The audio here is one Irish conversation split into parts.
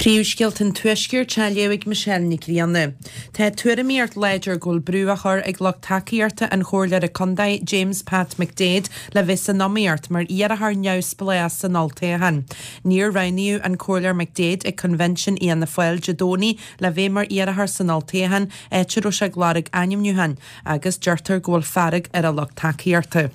Príomhscéalta an Tuaiscirt á léamh ag Michelle Nic Grianna. Tá tuairimíocht láidir go bhfuil brú á chur ag lucht tacaíochta an Chomhairleora Contae James Pat McDaid le bheith san iomaíocht mar iarrthóir neamhspleách san olltoghchán. Níor roghnaíodh an Comhairleoir McDaid ag Convention Fhianna Fáil Dé Domhnaigh le bheith mar iarrthóir san olltoghchán, áit a raibh sé ag lorg ainmniúcháin, agus deirtear go bhfuil fearg ar a lucht tacaíochta.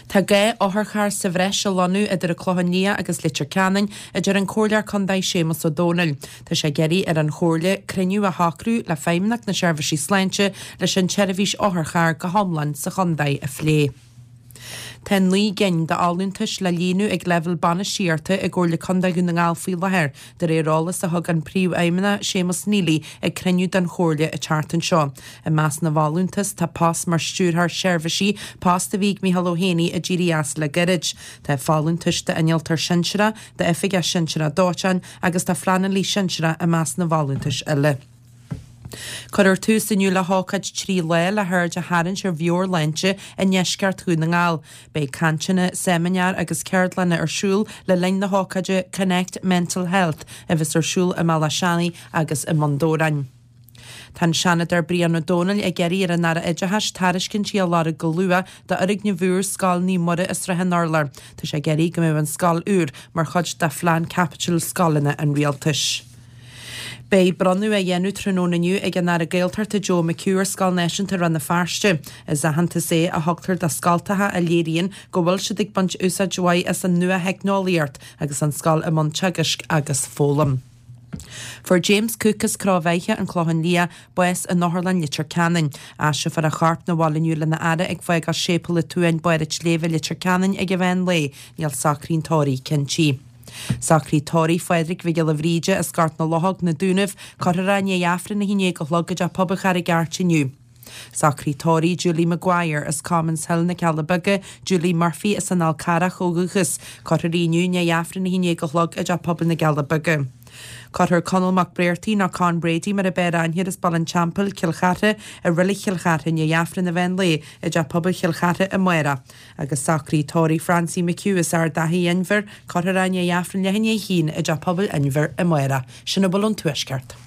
Tá gá otharcharr sa bhreis a lonnú idir an Clochán Liath agus Leitir Ceanainn, a deir an Comhairleoir Contae Séamus Ó Domhnaill. Tá sé ag iarraidh ar an Chomhairle cruinniú a shocrú le Feidhmeannacht na Seirbhísí Sláinte leis an tseirbhís otharcharr go hiomlán sa chontae a phlé. Tá 9 gcinn d'fholúntais le líonadh ag leibhéal bainistíochta i gComhairle Contae Dhún na nGall faoi láthair, de réir eolas a thug an Príomhfheidhmeannach Séamus Neely ag cruinniú den Chomhairle an tseachtain seo. I measc na bhfolúntas tá post mar Stiúrthóir Seirbhísí, post a bhí ag Micheál Ó hÉanaí a d'éirigh as le gairid. Tá folúntais d'Innealtóir Sinsearach, d'Oifigeach Sinsearach Dóiteáin agus do Phleanálaí Sinsearach i measc na bhfolúntais eile. Cuirfear tús inniu le hócáid 3 lá le haird a tharraingt ar mheabhairshláinte i ndeisceart Dhún na nGall. Beidh cainteanna, seimineáir agus ceardlanna ar siúl le linn na hócáide Connect Mental Health a bheas ar siúl i mBealach Seanaidh agus i mBun Dobhráin. Tá an Seanadóir Brian Ó Domhnaill ag iarraidh ar an Aire Oideachais tairiscintí a lorg go luath d'fhoirgneamh úr Scoil Naomh Muire i Srath an Urláir. Tá sé ag iarraidh go mbeadh an scoil úr mar chuid de phlean caipitil scoileanna an Rialtais. Beidh bronnadh á dhéanamh tráthnóna inniu ag an Aire Gaeltachta Joe McHugh ar Scoil Náisiúnta Rann na Feirste. Is aitheantas é a thugtar do scoltacha a léiríonn go bhfuil siad ag baint úsáid mhaith as an nua-theicneolaíocht agus an scoil i mbun teagaisc agus foghlaim. Fuair James Cooke as Cró Bheithe, An Clochán Liath, bás in Otharlann Leitir Ceanainn. Aistreofar a chorp 'na bhaile inniu lena fhaire ag fágáil Séipéal an tSuain, Barr an tSléibhe, Leitir Ceanainn ag an mheán lae. Níl socruithe an tórraimh cinntí. Socruithe tórraimh Phádraig Mhic Giolla Bhríde as Gort na Luchóg, Na Dúnaibh, cuirfear é i ndiaidh Aifreann 11 a chlog i dTeach Pobail Charraig Airt inniu. Socruithe tórraimh Julie Maguire as Commons Hill, Na Cealla Beaga, Julie Murphy as an Fhál Carrach ó dhúchas, cuirfear í inniu i ndiaidh Aifreann 11 a chlog i dTeach Pobail na gCealla Beaga. Cuirfear Conall Mac Bréartaigh nó Con Brady mar a b'fhearr aithne air as Baile an Teampaill, Cill Chartha, i Reilig Chill Chartha i ndiaidh Aifreann an mheán lae i dTeach Pobail Chill Chartha amárach. Agus socruithe tórraimh Francie McHugh as Ard Achaidh Inbhir, cuirfear é i ndiaidh Aifreann leath i ndiaidh a haon i dTeach Pobail Inbhir amárach. Sin a bhfuil ón Tuaisceart.